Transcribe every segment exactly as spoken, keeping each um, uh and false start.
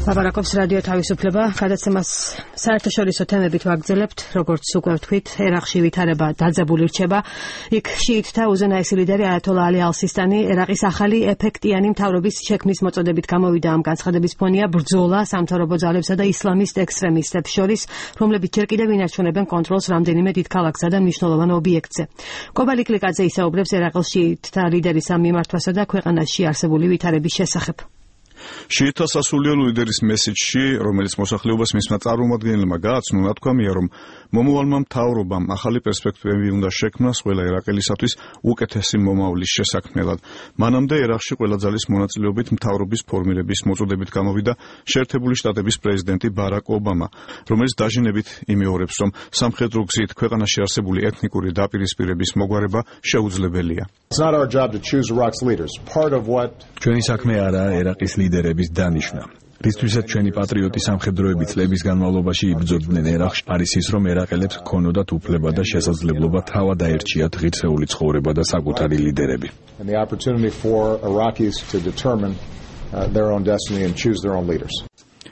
ლაპარაკობს რადიო თავისუფლება, გადაცემას საერთაშორისო თემებით ვაგრძელებთ, როგორც უკვე ვთქვით, ერაყში ვითარება დაძაბული რჩება. იქ შიიტთა უზენაესი ლიდერი აიათოლა ალი ალ-სისტანი ერაყის ახალი ეფექტიანი მთავრობის შექმნის მოწოდებით გამოვიდა. ამ განცხადების ფონია ბრძოლა სამთავრობო ძალებსა და ისლამისტ ექსტრემისტებს შორის, რომლებიც ჯერ კიდევ ინარჩუნებენ კონტროლს რამდენიმე დიდ ქალაქსა და მნიშვნელოვან ობიექტზე. კობალი კლიკაძე ისაუბრებს ერაყის შიიტთა ლიდერის ამ მიმართვასა და ქვეყანაში არსებული ვითარების შესახებ. შიიტთა სასულიერო ლიდერის მესიჯში, რომელიც მოსახლეობას მისმა წარმომადგენელმა გააცნო, თქვამია, რომ მომავალმა მთავრობამ ახალი პერსპექტივები უნდა შექმნას ყველა ერაყელისათვის უკეთესი მომავლის შესაქმნელად. მანამდე ერაყში ყველა ძალის მონაწილეობით მთავრობის ფორმირების მოწოდებით გამოვიდა შეერთებული შტატების პრეზიდენტი ბარაკ ობამა, რომელიც დაჟინებით იმეორებს, რომ სამხედრო გზით ქვეყანაში არსებული ეთნიკური დაპირისპირების მოგვარება შეუძლებელია. ჩვენი საქმე არაა ერაყის ლიდერების დანიშვნა. რისთვისაც ჩვენი პატრიოტი სამხედროები წლების განმავლობაში იბრძოდნენ ერაყში, არის ის, რომ ერაყელებს ჰქონოდათ უფლება და შესაძლებლობა თავად აერჩიათ ღირსეული ცხოვრება და საკუთარი ლიდერები.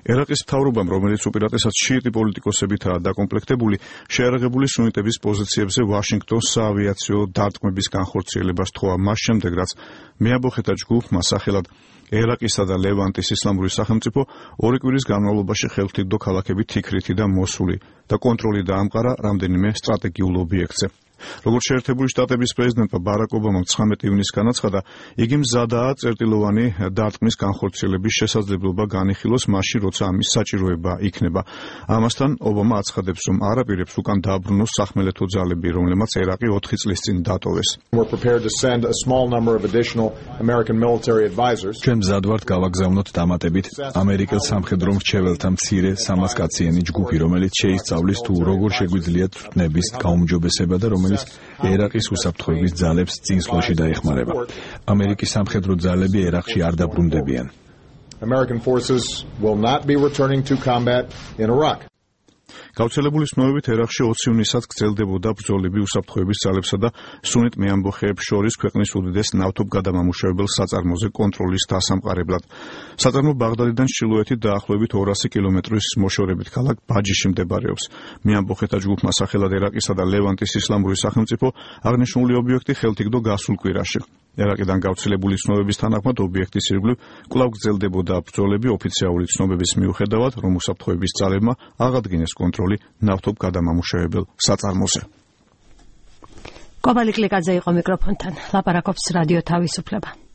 ერაყის მთავრობამ, რომელიც უპირატესად შიიტი პოლიტიკოსებითაა დაკომპლექტებული, შეარაღებული სუნიტების პოზიციებზე ვაშინგტონს საავიაციო დარტყმების განხორციელებას თხოვა მას შემდეგ, რაც მეამბოხეთა ჯგუფმა სახელად ერაყისა და ლევანტის ისლამური სახელმწიფო ორი კვირის განმავლობაში ხელმთიგდო ქალაქები თიქრითი და მოსული და კონტროლი დაამყარა რამდენიმე სტრატეგიულ ობიექტზე. როგორც შეერთებული შტატების პრეზიდენტმა ბარაკ ობამამ ცხრამეტი ივნისს განაცხადა, იგი მზადაა წერტილოვანი დარტყმის განხორციელების შესაძლებლობა განიხილოს მაშინ, როცა ამის საჭიროება იქნება. ამასთან ობამა აცხადებს, რომ არაპირებს უკან დააბრუნოს სახმელეთო ძალები, რომლებმაც ერაყი ოთხი წლის წინ დატოვეს. ჩვენ მზად ვართ გავაგზავნოთ დამატებით ამერიკელ სამხედრო მრჩეველთა მცირე სამას კაციანი ჯგუფი, რომელიც შეისწავლის თუ როგორ შეგვიძლია თვითნების გაუმჯობესება და რომელიც ერაყის უსაფრთხოების ძალებს წინსვლაში დაეხმარება. ამერიკის სამხედრო ძალები ერაყში არ დაბრუნდებიან. გავრცელებული ცნობებით ერაყში ოცი ივნისად გრძელდებოდა ბრძოლები უსაფრთხოების ძალებსა და სუნიტ მეამბოხეებს შორის ქვეყნის უდიდეს ნავთობგადამამუშავებელ საწარმოზე კონტროლის დასამყარებლად. საწარმო ბაღდადიდან ჩრდილოეთით დაახლოებით ორასი კილომეტრის მოშორებით ქალაქ ბაჯიში მდებარეობს. მეამბოხეთა ჯგუფმა სახელად ერაყისა და ლევანტის ისლამური სახელმწიფო აღნიშნული ობიექტი ხელთიგდო გასულ კვირაში. ერაყიდან გავრცელებული ცნობების თანახმად ობიექტის ირგვლივ კვლავ გრძელდებოდა ბრძოლები ოფიციალური ცნობების მიუხედავად, რომ უსაფრთხოების ძალებმა აღადგინეს კონტროლი ნავთობგადამამუშავებელ საწარმოზე. კობალი კლიკაძე იყო მიკროფონთან. ლაპარაკობს რადიო თავისუფლება.